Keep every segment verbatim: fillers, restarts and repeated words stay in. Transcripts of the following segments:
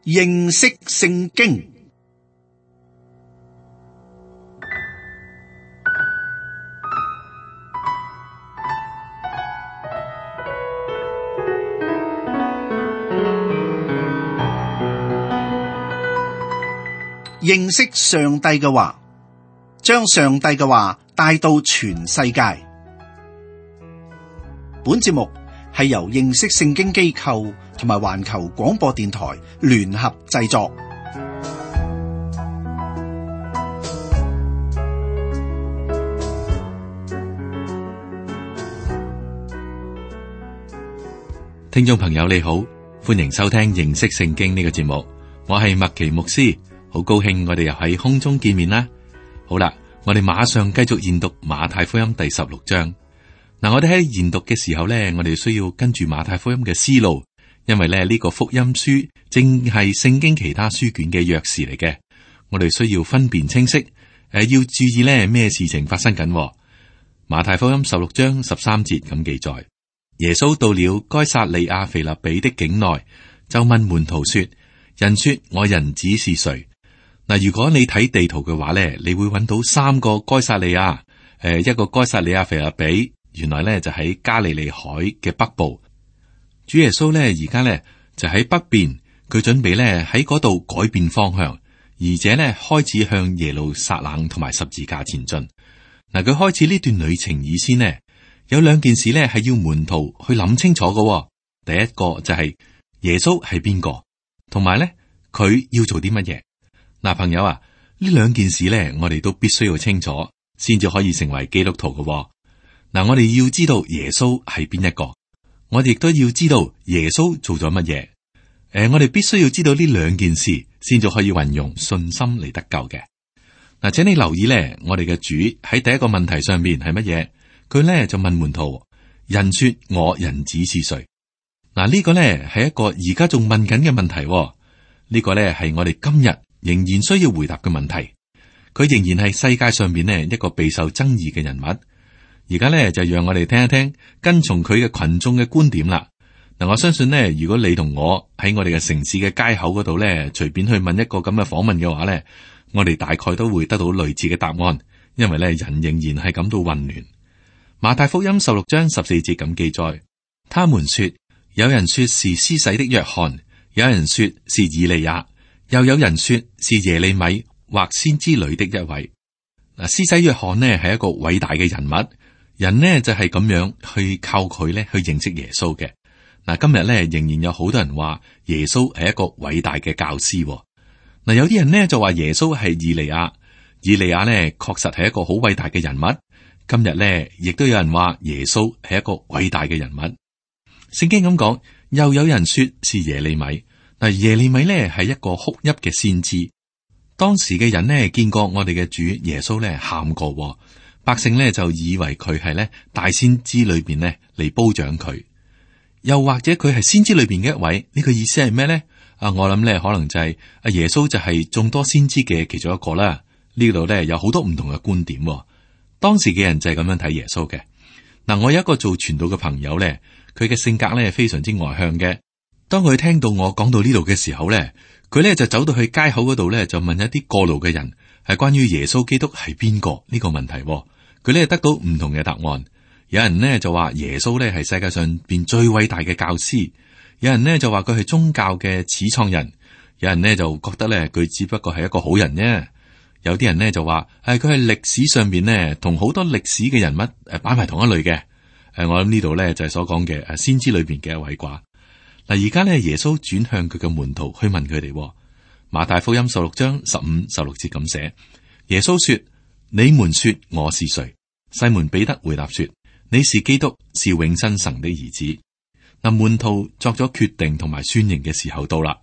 認識聖經。認識上帝嘅話，將上帝嘅話帶到全世界。本節目係由認識聖經機構同埋環球廣播電台聯合製作。聽眾朋友你好，歡迎收聽認識聖經呢個節目，我係麥奇牧師，好高興我哋又喺空中見面啦。好啦，我哋馬上繼續研讀馬太福音第十六章。嗱，我哋喺研讀嘅時候咧，我哋需要跟住馬太福音嘅思路，因為咧呢個福音書正係聖經其他書卷嘅鑰匙嚟嘅。我哋需要分辨清晰，誒、呃，要注意咧咩事情發生緊。馬太福音十六章十三節咁記載：耶穌到了該撒利亞腓立比的境內，就問門徒說：人說我人子是誰？嗱，如果你睇地圖嘅話咧，你會揾到三個該撒利亞，誒、呃，一個該撒利亞腓立比。原來咧就喺加利利海嘅北部，主耶穌咧而家咧就喺北邊，佢準備咧喺嗰度改變方向，而且咧開始向耶路撒冷同埋十字架前進。嗱，佢開始呢段旅程以先呢，有兩件事咧係要門徒去諗清楚嘅。第一個就係耶穌係邊個，同埋咧佢要做啲乜嘢。嗱，朋友啊，呢兩件事咧我哋都必須要清楚，先至可以成為基督徒嘅。嗱，我哋要知道耶穌係邊一個，我哋亦都要知道耶穌做咗乜嘢。誒、呃，我哋必須要知道呢兩件事，先至可以運用信心嚟得救嘅。嗱，請你留意咧，我哋嘅主喺第一個問題上面係乜嘢？佢咧就問門徒：人說我人子是誰？嗱，呢個咧係一個而家仲問緊嘅問題。呢個咧係我哋今日仍然需要回答嘅問題。佢仍然係世界上面呢一個備受爭議嘅人物。而家咧就讓我哋聽一聽跟從佢嘅群眾嘅觀點啦。嗱，我相信呢，如果你同我喺我哋嘅城市嘅街口嗰度咧，隨便去問一個咁嘅訪問嘅話咧，我哋大概都會得到類似嘅答案，因為咧人仍然係感到混亂。馬太福音十六章十四節咁記載，他們說，有人說是施洗的約翰，有人說是以利亞，又有人說是耶利米或先知裏的一位。嗱，施洗約翰呢係一個偉大嘅人物。人呢就係咁樣去靠佢咧去認識耶穌嘅。嗱，今日咧仍然有好多人話耶穌係一個偉大嘅教師。嗱，有啲人呢就話耶穌係以利亞，以利亞呢確實係一個好偉大嘅人物。今日呢亦都有人話耶穌係一個偉大嘅人物。聖經咁講，又有人說是耶利米。嗱，耶利米呢係一個哭泣嘅先知。當時嘅人呢見過我哋嘅主耶穌呢喊過。百姓咧就以為佢係咧大先知裏邊咧嚟褒獎佢，又或者佢係先知裏邊嘅一位，呢個意思係咩咧？啊，我諗咧可能就係阿耶穌就係眾多先知嘅其中一個啦。呢度咧有好多唔同嘅觀點，當時嘅人就係咁樣睇耶穌嘅。嗱，我有一個做傳道嘅朋友咧，佢嘅性格咧非常之外向嘅。當佢聽到我講到呢度嘅時候咧，佢咧就走到去街口嗰度咧，就問一啲過路嘅人，係關於耶穌基督係邊個呢個問題。佢咧得到唔同嘅答案。有人呢就話耶穌咧係世界上邊最偉大嘅教師，有人呢就話佢係宗教嘅始創人，有人呢就覺得咧佢只不過係一個好人啫。有啲人呢就話係佢係歷史上邊呢同好多歷史嘅人物誒擺埋同一類嘅。誒，我諗呢度咧就係所講嘅誒先知裏邊嘅一位啩。嗱，而家咧耶穌轉向佢嘅門徒去問佢哋。馬太福音十六章十五、十六節咁寫：耶穌說。你們說我是誰？西門彼得回答說：你是基督，是永生神的兒子。嗱，門徒作咗決定同埋宣認嘅時候到啦。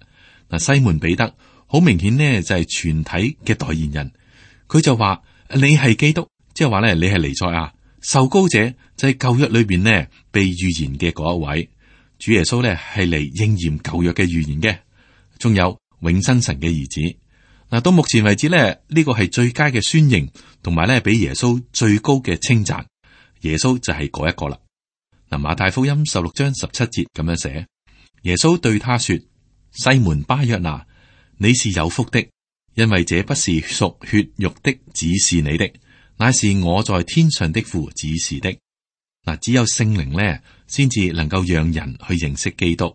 嗱，西門彼得好明顯呢就係全體嘅代言人，佢就話你係基督，即係話咧你係彌賽亞，受膏者就係舊約裏邊呢被預言嘅嗰一位。主耶穌咧係嚟應驗舊約嘅預言嘅，仲有永生神嘅兒子。嗱，到目前為止咧，呢個係最佳嘅宣認，同埋咧俾耶穌最高嘅稱讚。耶穌就係嗰一個啦。嗱，馬太福音十六章十七節咁樣寫：耶穌對他說：西門巴約拿，你是有福的，因為這不是屬血肉的指示你的，乃是我在天上的父指示的。嗱，只有聖靈咧，先至能夠讓人去認識基督。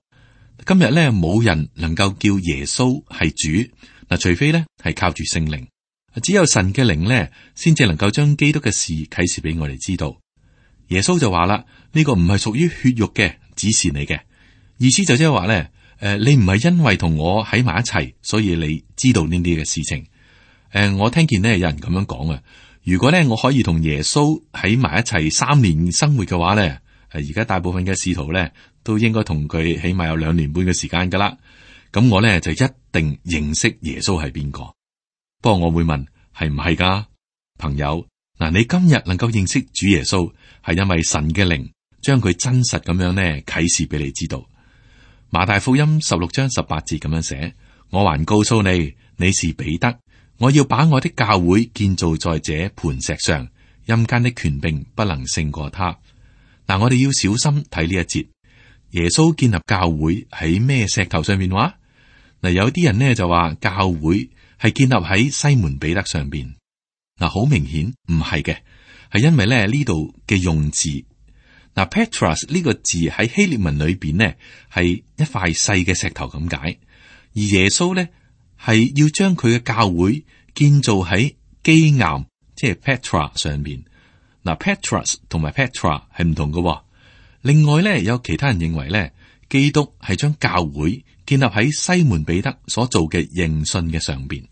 今日咧，冇人能夠叫耶穌係主，嗱，除非咧係靠住聖靈。只有神嘅靈咧，先至能夠將基督嘅事啟示俾我哋知道。耶穌就話啦，呢個唔係屬於血肉嘅指示你嘅，意思就即係話咧，誒，你唔係因為同我喺埋一齊，所以你知道呢啲嘅事情。誒，我聽見咧有人咁樣講啊。如果咧我可以同耶穌喺埋一齊三年生活嘅話咧，誒，而家大部分嘅使徒咧都應該同佢起碼有兩年半嘅時間噶啦。咁我咧就一定認識耶穌係邊個。不過我會問，係唔係噶，朋友？嗱，你今日能夠認識主耶穌，係因為神嘅靈將佢真實咁樣咧啟示俾你知道。馬太福音十六章十八節咁樣寫：我還告訴你，你是彼得。我要把我的教會建造在這磐石上，陰間的權柄不能勝過他。嗱，我哋要小心睇呢一節。耶穌建立教會喺咩石頭上面話？嗱，有啲人呢就話教會係建立喺西門彼得上邊。嗱，好明顯唔係嘅，係因為咧呢度嘅用字。嗱，Petros 呢個字喺希臘文裏邊呢係一塊細嘅石頭咁解，而耶穌呢，係要將佢嘅教會建造喺基岩，即係 Petra 上面。嗱 ，Petros 同埋 Petra 係唔同嘅。另外咧，有其他人認為咧，基督係將教會建立喺西門彼得所做嘅認信嘅上邊。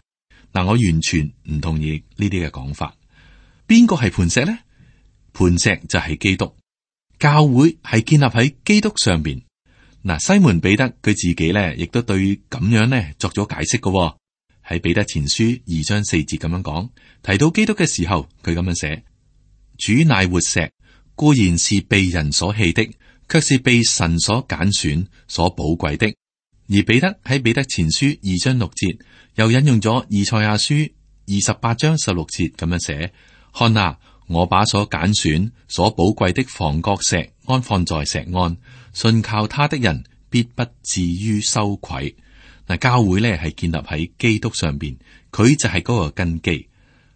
嗱，我完全唔同意呢啲嘅講法。邊個係磐石咧？磐石就係基督，教會係建立喺基督上邊。嗱，西門彼得佢自己咧，亦都對咁樣咧作咗解釋嘅。喺彼得前書二章四節咁樣講，提到基督嘅時候，佢咁樣寫：主乃活石，固然是被人所棄的，卻是被神所揀選、所寶貴的。而彼得喺彼得前書二章六節，又引用咗以賽亞書二十八章十六節咁樣寫：看啊，我把所揀選、所寶貴的房角石安放在錫安，信靠他的人必不至於羞愧。嗱，教會咧係建立喺基督上邊，佢就係嗰個根基。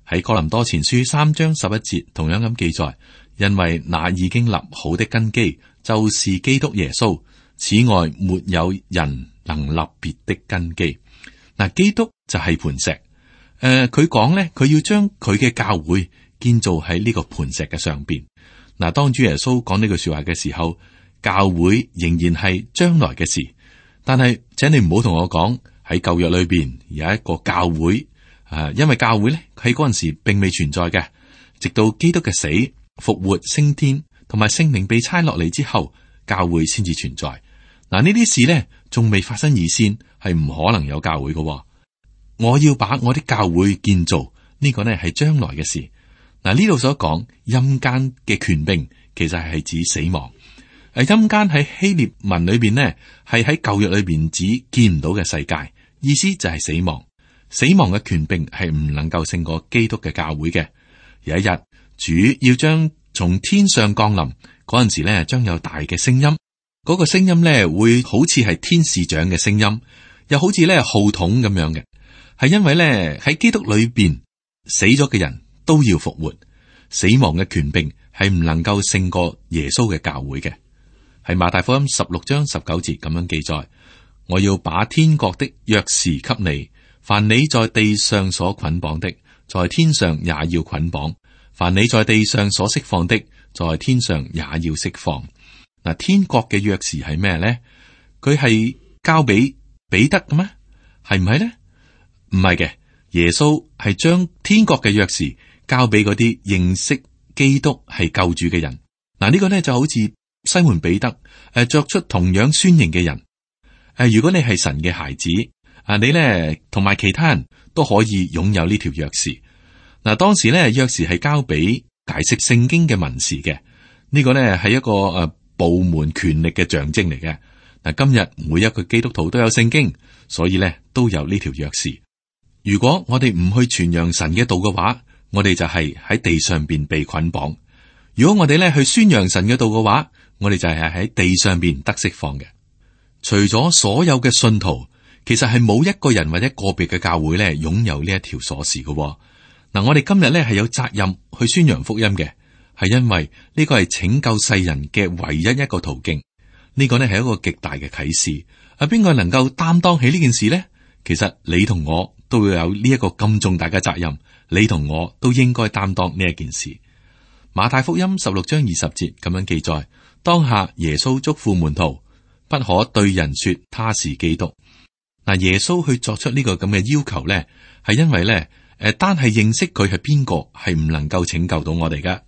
喺哥林多前書三章十一節同樣咁記載，因為那已經立好的根基就是基督耶穌，此外沒有人能立別的根基。嗱，基督就係磐石。誒、呃，佢講咧，佢要將佢嘅教會建造喺呢個磐石嘅上邊。嗱，當主耶穌講呢句說話嘅時候，教會仍然係將來嘅事。但係，請你唔好同我講喺舊約裏邊有一個教會，啊，因為教會咧喺嗰陣時並未存在嘅，直到基督嘅死、復活、升天同埋聖靈被差落嚟之後，教會先至存在。嗱，呢啲事咧仲未發生以先，係唔可能有教會嘅。我要把我的教會建造，呢個呢係將來嘅事。嗱，呢度所講陰間嘅權柄，其實係指死亡。誒，陰間喺希臘文裏邊呢，係喺舊約裏邊指見唔到嘅世界，意思就係死亡。死亡嘅權柄係唔能夠勝過基督嘅教會嘅。有一日，主要將從天上降臨嗰陣時咧，將有大嘅聲音，嗰個聲音咧會好似係天使長嘅聲音，又好似咧號筒咁樣嘅，係因為咧喺基督裏邊死咗嘅人都要復活，死亡嘅權柄係唔能夠勝過耶穌嘅教會嘅。係馬太福音十六章十九節咁樣記載：我要把天國的鑰匙給你，凡你在地上所捆綁的，在天上也要捆綁；凡你在地上所釋放的，在天上也要釋放。嗱，天國嘅鑰匙係咩咧？佢係交俾彼得嘅咩？係唔係咧？唔係嘅，耶穌係將天國嘅鑰匙交俾嗰啲認識基督係救主嘅人。嗱，呢個咧就好似西門彼得誒，作出同樣宣認嘅人誒，如果你係神嘅孩子啊，你咧同埋其他人都可以擁有呢條鑰匙。嗱，當時咧鑰匙係交俾解釋聖經嘅文士嘅，呢個咧係一個誒部門權力嘅象徵嚟嘅。嗱，今日每一個基督徒都有聖經，所以咧都有呢條鑰匙。如果我哋唔去傳揚神嘅道嘅話，我哋就係喺地上邊被捆綁；如果我哋咧去宣揚神嘅道嘅話，我哋就係喺地上邊得釋放嘅。除咗所有嘅信徒，其實係冇一個人或者個別嘅教會咧擁有呢一條鎖匙嘅。嗱，我哋今日咧係有責任去宣揚福音嘅，係因為呢個係拯救世人嘅唯一一個途徑。呢個呢係一個極大嘅啟示。啊，邊個能夠擔當起呢件事呢？其實你同我都會有呢一個咁重大嘅責任，你同我都應該擔當呢一件事。馬太福音十六章二十節咁樣記載：當下耶穌囑咐門徒，不可對人說他是基督。嗱，耶穌去作出呢個咁嘅要求呢，係因為呢，誒，單係認識佢係邊個係唔能夠拯救到我哋噶。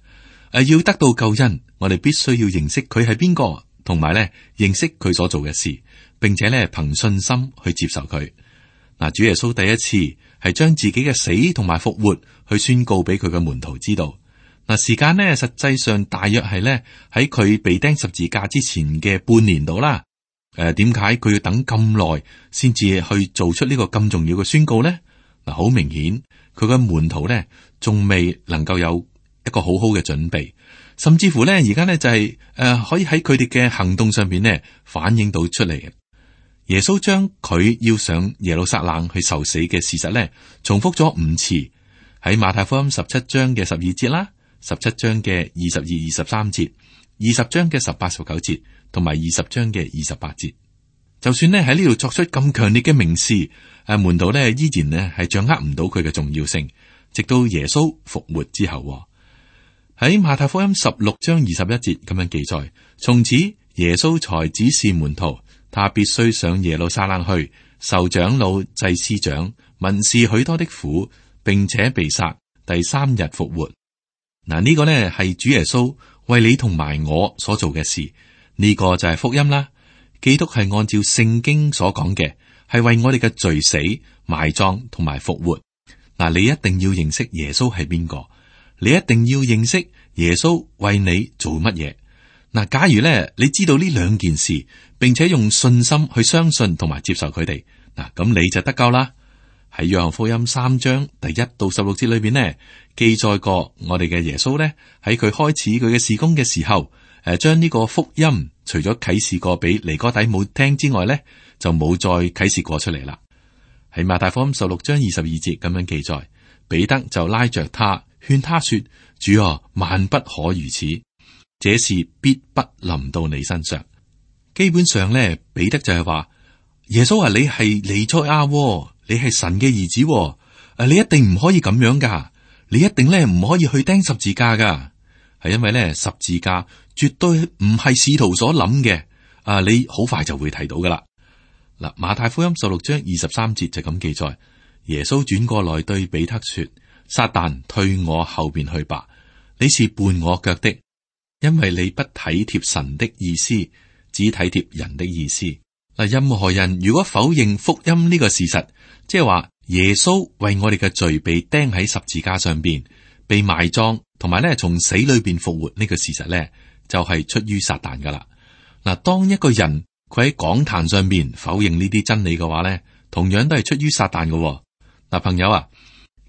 誒，要得到救恩，我哋必須要認識佢係邊個，同埋咧認識佢所做嘅事，並且咧憑信心去接受佢。嗱，主耶穌第一次係將自己嘅死同埋復活去宣告俾佢嘅門徒知道。嗱，時間呢，實際上大約係咧喺佢被釘十字架之前嘅半年度啦。誒、呃，點解佢要等咁耐先至去做出呢個咁重要嘅宣告呢？嗱，好明顯佢嘅門徒呢，仲未能夠有一個好好嘅準備，甚至乎呢，而家呢，就係、是、誒、呃、可以喺佢哋嘅行動上邊呢反映到出嚟。耶穌將佢要上耶路撒冷去受死嘅事實呢，重複咗五次，喺馬太福音十七章嘅十二節啦。十七章嘅二十二、二十三節，二十章嘅十八、十九節，同埋二十章嘅二十八節。就算呢喺呢度作出咁強烈嘅明示，誒，門徒呢依然呢係掌握唔到佢嘅重要性，直到耶穌復活之後。喺馬太福音十六章二十一節咁樣記載：從此耶穌才指示門徒，他必須上耶路撒冷去，受長老、祭司長、文士許多的苦，並且被殺，第三日復活。嗱，呢個呢係主耶穌為你同埋我所做嘅事，呢個就係福音啦。基督係按照聖經所講嘅，係為我哋嘅罪死、埋葬同埋復活。嗱，你一定要認識耶穌係邊個，你一定要認識耶穌為你做乜嘢。嗱，假如咧你知道呢兩件事，並且用信心去相信同埋接受佢哋，嗱，咁你就得救啦。喺約翰福音三章第一到十六節裏邊呢，記載過我哋嘅耶穌呢，喺佢開始佢嘅事工嘅時候，誒，將呢個福音除咗啟示過俾尼哥底母聽之外呢，就冇再啟示過出嚟啦。喺馬太福音十六章二十二節咁樣記載，彼得就拉着他勸他說：主啊，萬不可如此，這事必不臨到你身上。基本上呢，彼得就係話耶穌啊，你係彌賽亞，你係神嘅兒子，誒，你一定唔可以咁樣噶，你一定咧唔可以去釘十字架噶，係因為咧十字架絕對唔係使徒所諗嘅，啊，你好快就會睇到噶啦。嗱，馬太福音十六章二十三節就咁記載，耶穌轉過來對彼得說：撒旦，退我後邊去吧，你是絆我腳的，因為你不體貼神的意思，只體貼人的意思。嗱，任何人如果否認福音呢個事實，即係話耶穌為我哋嘅罪被釘喺十字架上邊，被埋葬，同埋咧從死裏邊復活呢個事實咧，就係出於撒旦噶啦。嗱，當一個人佢喺講壇上邊否認呢啲真理嘅話咧，同樣都係出於撒旦嘅。嗱，朋友啊，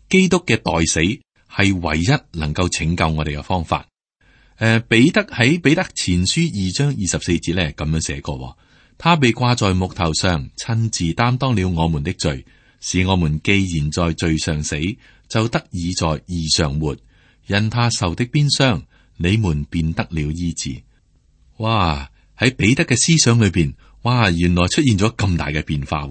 基督嘅代死係唯一能夠拯救我哋嘅方法。誒、呃，彼得喺彼得前書二章二十四節咧咁樣寫過。他被掛在木頭上，親自擔當了我們的罪，使我們既然在罪上死，就得以在義上活。因他受的鞭傷，你們便得了醫治。哇！喺彼得嘅思想裏邊，哇！原來出現咗咁大嘅變化。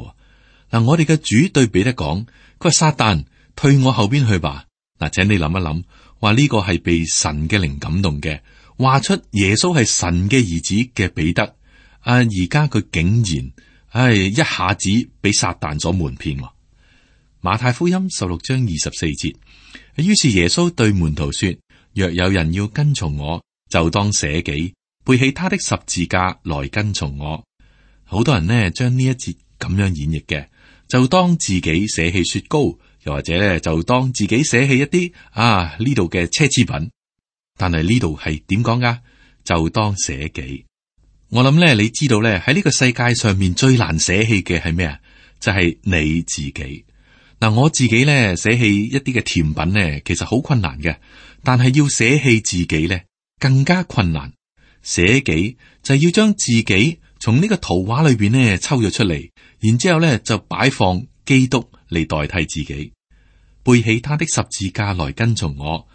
嗱，我哋嘅主對彼得講：佢話撒旦，退我後邊去吧。嗱，請你諗一諗，話呢個係被神嘅靈感動嘅，話出耶穌係神嘅兒子嘅彼得。啊！而家佢竟然，唉，一下子俾撒旦所瞞騙。馬太福音十六章二十四節，於是耶穌對門徒說：若有人要跟從我，就當捨己，背起他的十字架來跟從我。好多人呢，將呢一節咁樣演繹嘅，就當自己捨棄雪糕，又或者咧就當自己捨棄一啲啊呢度嘅奢侈品。但係呢度係點講噶？就當捨己。我諗咧，你知道咧，喺呢個世界上面最難捨棄嘅係咩啊？就係你自己。嗱，我自己咧捨棄一啲嘅甜品咧，其實好困難嘅。但係要捨棄自己咧，更加困難。捨己就係要將自己從呢個圖畫裏邊咧抽咗出嚟，然之後咧就擺放基督嚟代替自己，背起他的十字架來跟從我。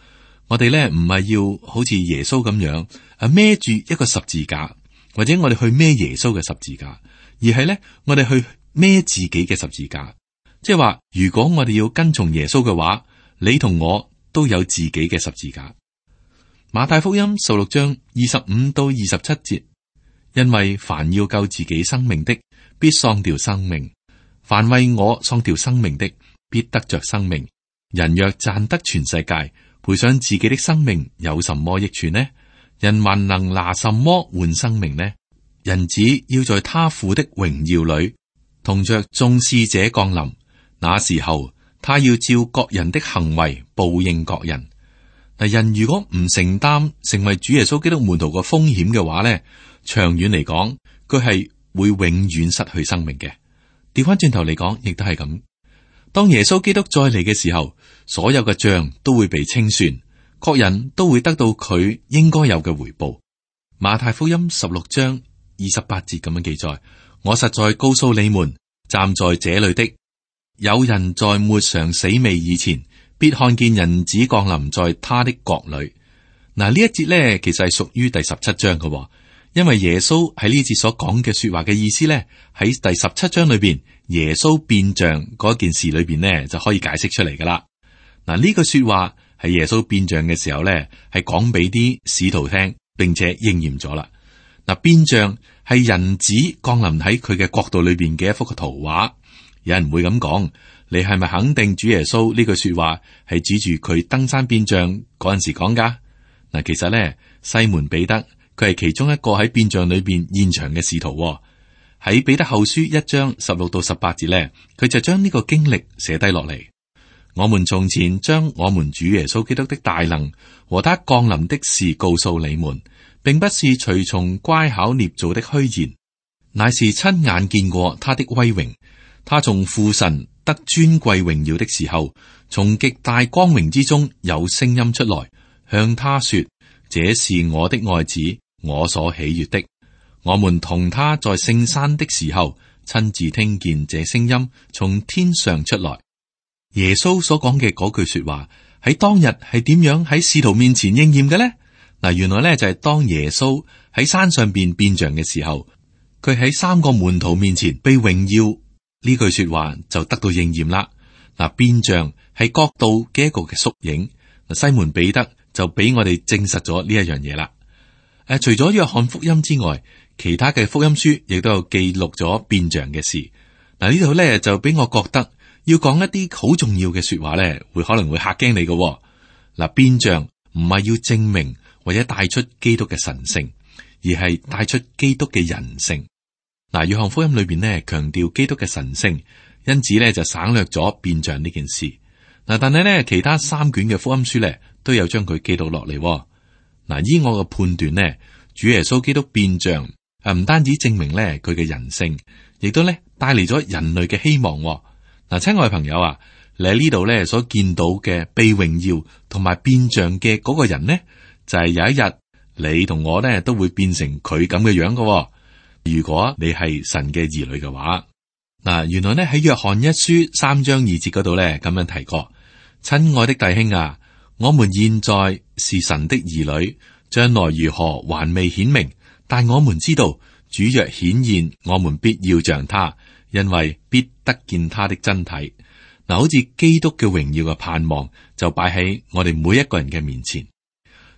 我哋咧唔係要好似耶穌咁樣啊孭住一個十字架，或者我哋去孭耶穌嘅十字架，而係咧我哋去孭自己嘅十字架。即係話，如果我哋要跟從耶穌嘅話，你同我都有自己嘅十字架。馬太福音十六章二十五到二十七節，因為凡要救自己生命的，必喪掉生命；凡為我喪掉生命的，必得着生命。人若賺得全世界，賠上自己的生命，有什麼益處呢？人還能拿什麼換生命呢？人子要在他父的榮耀裏，同着眾使者降臨。那時候，他要照各人的行為報應各人。嗱，人如果唔承擔成為主耶穌基督門徒嘅風險嘅話咧，長遠嚟講，佢係會永遠失去生命嘅。調翻轉頭嚟講，亦都係咁。當耶穌基督再嚟嘅時候，所有嘅賬都會被清算，各人都會得到佢應該有嘅回報。馬太福音十六章二十八節咁樣記載：我實在告訴你們，站在這裏的，有人在沒嘗死味以前，必看見人子降臨在他的國裏。嗱，呢一節咧，其實係屬於第十七章嘅，因為耶穌喺呢節所講嘅說話嘅意思咧，喺第十七章裏邊，耶穌變像嗰件事裏邊呢，就可以解釋出嚟噶啦。嗱，呢句說話係耶穌變像嘅時候咧，係講俾啲使徒聽，並且應驗咗啦。嗱，變像係人子降臨喺佢嘅國度裏邊嘅一幅嘅圖畫。有人會咁講，你係咪肯定主耶穌呢句說話係指住佢登山變像嗰陣時講噶？嗱，其實咧，西門彼得佢係其中一個喺變像裏邊現場嘅使徒。喺彼得後書一章十六到十八節咧，佢就將呢個經歷寫低落嚟。我們從前將我們主耶穌基督的大能和他降臨的事告訴你們，並不是隨從乖巧捏造的虛言，乃是親眼見過他的威榮。他從父神得尊貴榮耀的時候，從極大光榮之中有聲音出來，向他說：這是我的愛子，我所喜悅的。我們同他在聖山的時候，親自聽見這聲音從天上出來。耶穌所講嘅嗰句說話喺當日係點樣喺使徒面前應驗嘅呢？嗱，原來咧就係當耶穌喺山上邊變像嘅時候，佢喺三個門徒面前被榮耀。呢句說話就得到應驗啦。嗱，變像係國度嘅一個嘅縮影。西門彼得就俾我哋證實咗呢一樣嘢啦。誒，除咗約翰福音之外，其他嘅福音書亦都有記錄咗變像嘅事。嗱，呢度咧就俾我覺得要講一啲好重要嘅說話咧，會可能會嚇驚你嘅。嗱，變像唔係要證明或者帶出基督嘅神性，而係帶出基督嘅人性。嗱，約翰福音裏邊呢強調基督嘅神性，因此咧就省略咗變像呢件事。嗱，但係咧其他三卷嘅福音書咧都有將佢記錄落嚟。嗱，依我嘅判斷呢，主耶穌基督變像誒唔單止證明咧佢嘅人性，亦都咧帶嚟咗人類嘅希望。嗱，親愛朋友啊，你喺呢度咧所見到嘅被榮耀同埋變像嘅嗰個人呢，就係有一日你同我咧都會變成佢咁嘅樣嘅。如果你係神嘅兒女嘅話，嗱，原來咧喺約翰一書三章二節嗰度咧咁樣提過：親愛的弟兄啊，我們現在是神的兒女，將來如何還未顯明，但我們知道主若顯現，我們必要像他，因為必得見他的真體。嗱，好似基督嘅榮耀嘅盼望就擺喺我哋每一個人嘅面前。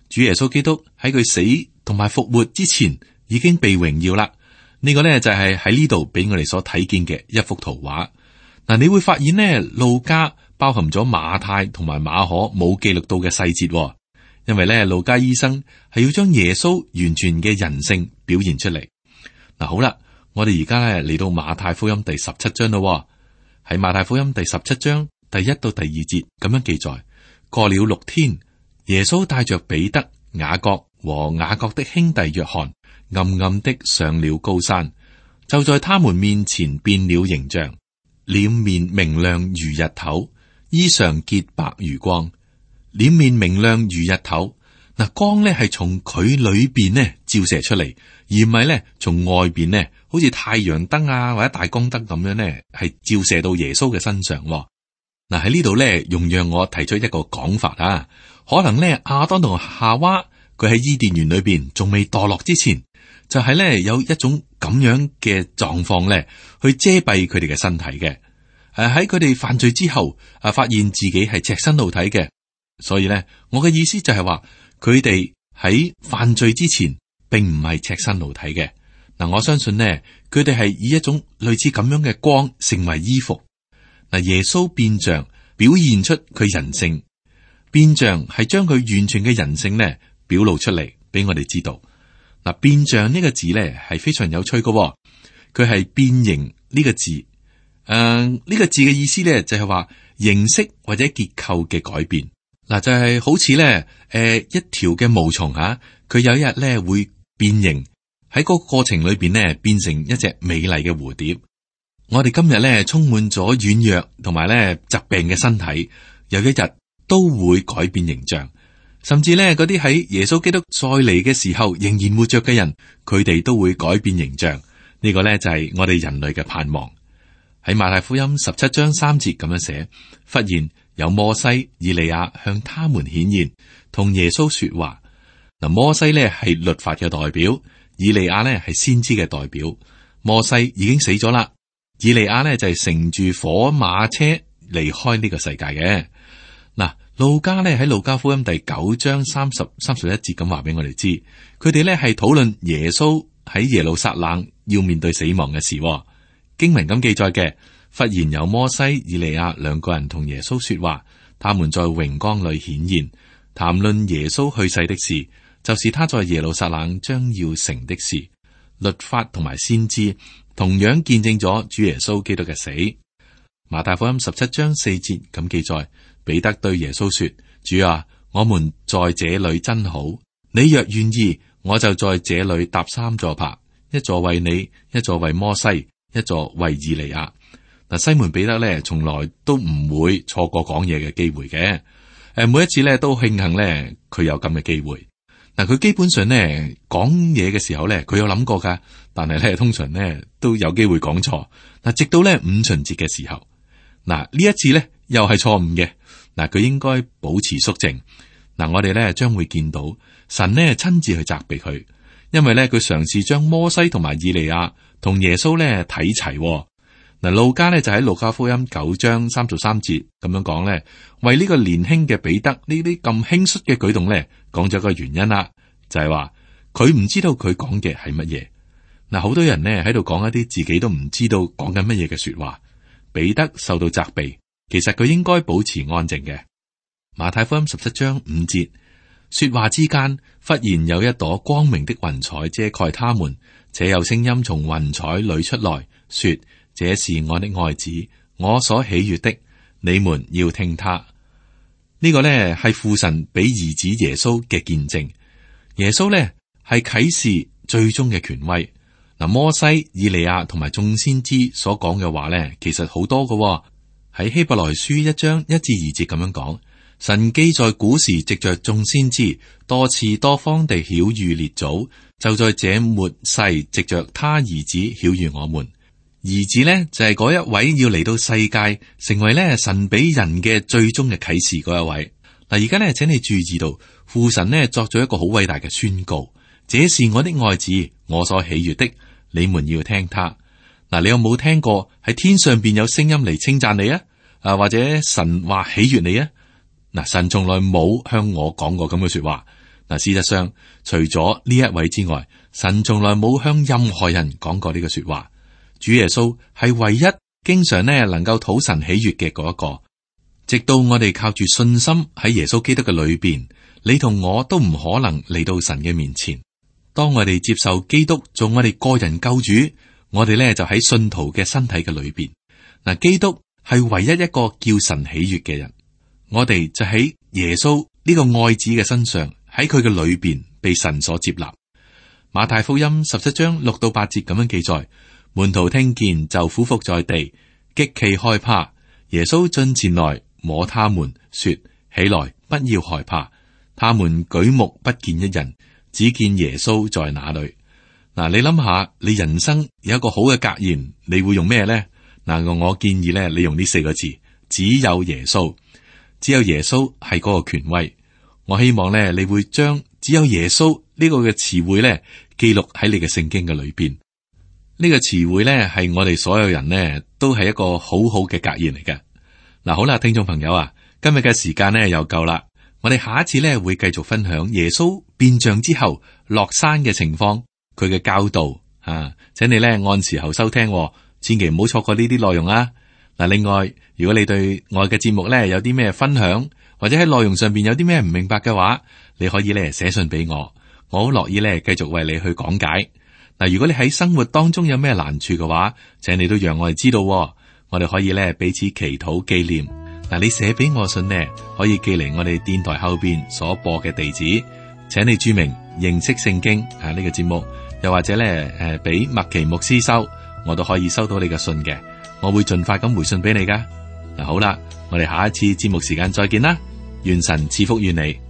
主耶穌基督喺佢死同埋復活之前已經被榮耀啦。呢個呢，就係喺呢度俾我哋所睇見嘅一幅圖畫。嗱，你會發現呢，路加包含咗馬太同埋馬可冇記錄到嘅細節，因為呢，路加醫生係要將耶穌完全嘅人性表現出嚟。嗱，好啦，我哋而家呢嚟到馬太福音第十七章咯。喺馬太福音第十七章第一到第二節咁樣記載：過了六天，耶穌帶着彼得、雅各和雅各的兄弟約翰，暗暗的上了高山，就在他們面前變了形象，臉面明亮如日頭，衣裳潔白如光。臉面明亮如日頭，嗱，光咧係從佢裏邊呢照射出嚟，而唔係咧從外邊呢，好好似太陽燈啊或者大光燈咁樣咧，係照射到耶穌嘅身上。嗱，喺呢度咧，容讓我提出一個講法啊，可能咧亞當同夏娃佢喺伊甸園裏邊仲未墮落之前，就係咧有一種咁樣嘅狀況咧，去遮蔽佢哋嘅身體嘅。誒喺佢哋犯罪之後，啊發現自己係赤身露體嘅，所以咧我嘅意思就係話，佢哋喺犯罪之前，並唔係赤身露體嘅。嗱，我相信呢，佢哋係以一種類似咁樣嘅光成為衣服。嗱，耶穌變像表現出佢人性，變像係將佢完全嘅人性咧表露出嚟俾我哋知道。嗱，變像呢個字咧係非常有趣嘅，佢係變形呢個字。誒、呃，呢、這個字嘅意思咧就係話形式或者結構嘅改變。嗱，就係、是、好似咧誒一條嘅毛蟲吓，佢有一日咧會變形，喺嗰個過程裏邊咧變成一隻美麗嘅蝴蝶。我哋今日咧充滿咗軟弱同埋咧疾病嘅身體，有一日都會改變形象，甚至咧嗰啲喺耶穌基督再嚟嘅時候仍然活着嘅人，佢哋都會改變形象。呢個咧就係我哋人類嘅盼望。喺馬太福音十七章三節咁樣寫，忽然有摩西、以利亞向他們顯現，同耶穌說話。嗱，摩西咧係律法嘅代表，以利亞咧係先知嘅代表。摩西已經死咗啦。以利亞呢就係乘住火馬車離開呢個世界嘅。嗱，路加呢喺路加福音第九章三十三十一節咁話俾我哋知，佢哋呢係討論耶穌喺耶路撒冷要面對死亡嘅事。經文咁記載嘅，忽然有摩西、以利亞兩個人同耶穌說話，他們在榮光裏顯現，談論耶穌去世的事，就是他在耶路撒冷將要成的事。律法同埋先知同樣見證咗主耶穌基督嘅死。馬太福音十七章四節咁記載，彼得對耶穌說：主啊，我們在這裏真好，你若願意，我就在這裏搭三座棚，一座為你，一座為摩西，一座為以利亞。嗱，西門彼得咧，從來都唔會錯過講嘢嘅機會嘅。誒，每一次咧都慶幸咧，佢有咁嘅機會。嗱，佢基本上咧講嘢嘅時候咧，佢有諗過噶，但係咧通常咧都有機會講錯。嗱，直到咧五旬節嘅時候，嗱呢一次咧又係錯誤嘅。嗱，佢應該保持肅靜。嗱，我哋咧將會見到神咧親自去責備佢，因為咧佢嘗試將摩西同埋以利亞同耶穌咧睇齊。嗱，路加咧就喺路加福音九章三十三節咁樣講咧，為呢個年輕嘅彼得呢啲咁輕率嘅舉動咧，講咗個原因啦，就係話佢唔知道佢講嘅係乜嘢。嗱，好多人呢喺度講一啲自己都唔知道講緊乜嘢嘅說話。彼得受到責備，其實佢應該保持安靜嘅。馬太福音十七章五節，說話之間，忽然有一朵光明的雲彩遮蓋他們，且有聲音從雲彩裏出來，說：這是我的愛子，我所喜悅的，你們要聽他。呢、這個呢係父神俾兒子耶穌嘅見證。耶穌呢係啟示最終嘅權威。嗱，摩西、以利亞同埋眾先知所講嘅話呢，其實好多嘅。喺希伯來書一章一至二節咁樣講，神既在古時藉着眾先知多次多方地曉諭列祖，就在這末世藉着他兒子曉諭我們。兒子呢，就係、是、嗰一位要嚟到世界成為呢神俾人嘅最終嘅啟示嗰一位。嗱，而家呢，請你注意到父神呢作咗一個好偉大嘅宣告：這是我的愛子，我所喜悅的，你們要聽他。嗱，你有冇聽過喺天上邊有聲音嚟稱讚你啊？啊，或者神話喜悅你啊？嗱，神從來冇向我講過咁嘅說話。嗱，事實上除咗呢一位之外，神從來冇向任何人講過呢個說話。主耶穌係唯一經常呢能夠討神喜悅嘅嗰一個。直到我哋靠住信心喺耶穌基督嘅裏邊，你同我都唔可能嚟到神嘅面前。當我哋接受基督做我哋個人救主，我哋呢就喺信徒嘅身體嘅裏邊。嗱，基督係唯一一個叫神喜悅嘅人，我哋就喺耶穌呢個愛子嘅身上，喺佢嘅裏邊被神所接納。馬太福音十七章六到八節咁樣記載。門徒聽見就俯伏在地，極其害怕。耶穌進前來摸他們，說：起來，不要害怕。他們舉目不見一人，只見耶穌在那裏。嗱，你諗下，你人生有一個好嘅格言，你會用咩咧？嗱，我建議咧，你用呢四個字：只有耶穌，只有耶穌係嗰個權威。我希望咧，你會將只有耶穌呢個嘅詞彙咧記錄喺你嘅聖經嘅裏邊。呢個詞彙咧係我哋所有人呢都係一個好好嘅格言嚟嘅。嗱，好啦，聽眾朋友啊，今日嘅時間呢又夠啦，我哋下一次咧會繼續分享耶穌變像之後落山嘅情況，佢嘅教導啊，請你咧按時候收聽，千祈唔好錯過呢啲內容啊。嗱，另外，如果你對我嘅節目咧有啲咩分享，或者喺內容上邊有啲咩唔明白嘅話，你可以咧寫信俾我，我好樂意咧繼續為你去講解。嗱，如果你喺生活當中有咩難處嘅話，請你都讓我哋知道，我哋可以咧彼此祈禱紀念。嗱，你寫俾我信呢，可以寄嚟我哋電台後邊所播嘅地址，請你注明認識聖經啊呢個節目，又或者咧誒俾麥奇牧師收，我都可以收到你嘅信嘅，我會盡快咁回信俾你噶。嗱，好啦，我哋下一次節目時間再見啦，願神賜福於你。